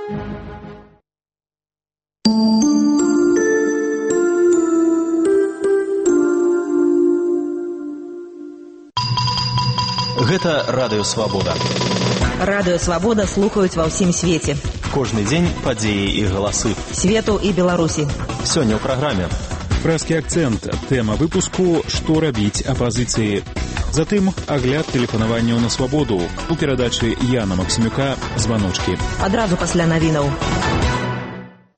Гэта Радыё Свабода. Радыё Свабода слухаюць ва ўсім свеце. Кожны дзень падзеі і галасы Свету і Беларусі. Сёння ў праграме. Прэскі акцэнт. Тэма выпуску «Што рабіць апазіцыі». Затым агляд тэлефанаванняў на свабоду. У перадачы Яна Максімюка «Званочкі». Адразу пасля навінаў.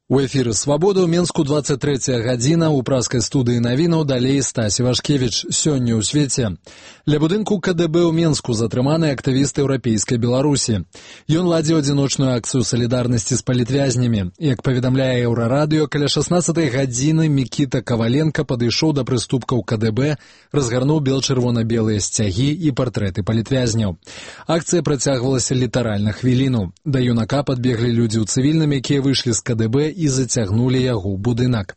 У эфіры «Свабода» ў Менску 23 гадзіна. У праскай студыі навінаў далей Стасі Вашкевіч. Сёння ў свеце. Ля будынку КДБ ў Менску затрыманы актывіст еўрапейскай Беларусі. Ён ладзіў адзіночную акцыю салідарнасці з палітвязнямі. Як паведамляе Еўрарадыё, каля 16 гадзіны Мікіта Каваленка падышоў да прыступкаў КДБ, разгарнуў бел-чырвона-белыя сцягі і партрэты палітвязняў. Акцыя працягвалася літаральна хвіліну. Да юнака падбеглі людзі ў цывільным, якія выйшлі з КДБ і зацягнулі яго ў будынак.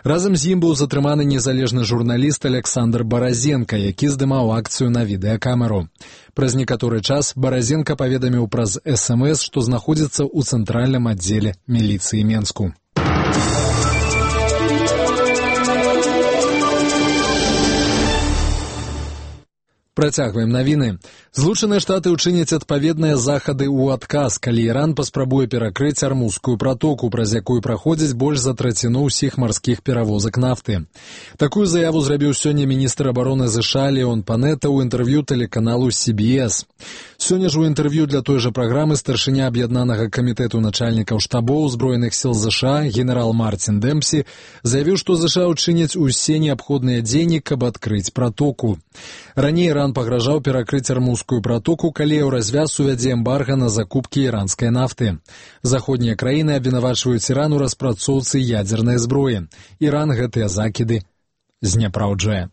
Разам з ім быў затрыманы незалежны журналіст Александр Баразенка, які здымаў акцыю на відэакамеру. Праз некаторы час Баразенка паведаміў праз СМС, што знаходзіцца ў цэнтральным аддзеле міліцыі Менску. Працягваем навіны. Злучаныя Штаты ўчыняць адпаведныя захады ў адказ, калі Іран паспрабуе перакрыць Армузскую пратоку, праз якую праходзіць больш за траціну ўсіх марскіх перавозак нафты. Такую заяву зрабіў сёння міністр абароны США Леон Панета ў інтэрв'ю тэлеканалу CBS. Сёння ж у інтэрв'ю для той жа праграмы старшыня аб'яднанага камітэту начальнікаў штабоў Збройных сіл США генерал Мартин Демпсі заявіў, што США ўчыняць усе неабходныя дзеянні, каб адкрыць пратоку. Раней Іран пагражаў перакрыць Армузскую пратоку, калі Еўразвяз увядзе эмбарга на закупкі іранскай нафты. Заходнія краіны абвінавачваюць Іран у распрацоўцы ядзернай зброі. Іран гэтыя закіды зняпраўджае.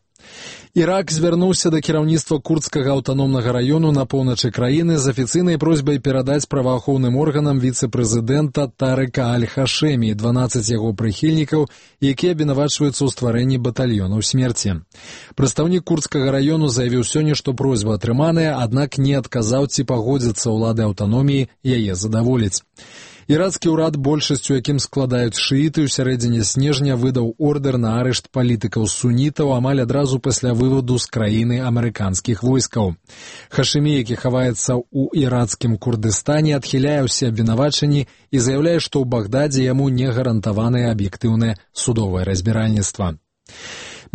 Ірак звярнуўся да кіраўніцтва курдскага аўтаномнага раёну на поўначы краіны з афіцыйнай просьбай перадаць праваахоўным органам віцэ-прэзідэнта Тарыка Аль-Хашэмі і 12 яго прыхільнікаў, якія абвінавачваюцца ў стварэнні батальёнаў смерці. Прадстаўнік курдскага раёну заявіў сёння, што просьба атрыманая, аднак не адказаў, ці пагодзяцца ўлады аўтаноміі яе задаволіць. Ірацкі ўрад, большасцю якім складаюць шыіты, у сярэдзіне снежня выдаў ордэр на арышт палітыкаў сунітаў амаль адразу пасля выводу з краіны амерыканскіх войскаў. Хашэмі, які хаваецца ў ірацкім Курдыстане, адхіляе ўсе абвінавачанні і заяўляе, што ў Багдадзе яму не гарантаванае аб'ектыўнае судовае разбіральніцтва.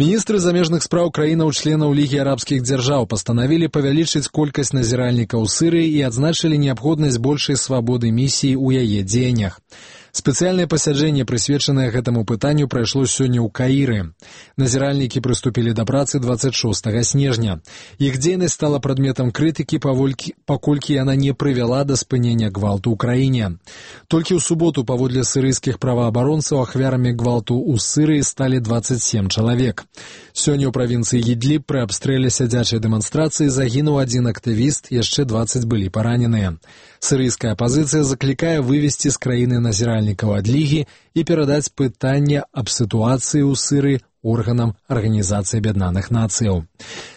Міністры замежных спраў краінаў-членаў Лігі арабскіх дзяржаў пастанавілі павялічыць колькасць назіральнікаў Сырыі і адзначылі неабходнасць большай свабоды місіі ў яе дзеяннях. Спецыяльнае пасяджэнне, прысвечанае гэтаму пытанню, прайшло сёння ў Каіры. Назіральнікі прыступілі да працы 26 снежня. Іх дзейнасць стала прадметам крытыкі, паколькі яна не прывяла да спынення гвалту ў краіне. Толькі ў суботу, паводле сырыйскіх праваабаронцаў, ахвярамі гвалту ў Сырыі сталі 27 чалавек. Сёння ў правінцыі Ідліб пры абстрэле сядзячай дэманстрацыі загінуў адзін актывіст, яшчэ 20 былі параненыя. Сырыйская апазіцыя заклікае вывесці з краіны назіральнікаў ад Лігі і перадаць пытанне аб сітуацыі ў Сырыі органам Арганізацыі Аб'яднаных Нацыяў.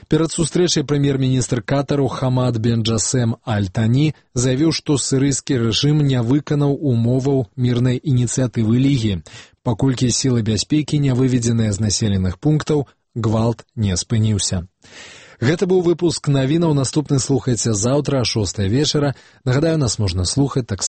Перад сустрэчай прэм'ер-міністр Катару Хамад бен Джасем Аль-Тані заявіў, што сырыйскі рэжым не выканаў умоваў мірнай ініцыятывы Лігі, паколькі сілы бяспекі не выведзеныя з населеных пунктаў, гвалт не спыніўся. Гэта быў выпуск навінаў. Наступны слухайце заўтра о 6 вечара. Нагадаю, нас можна слухаць таксама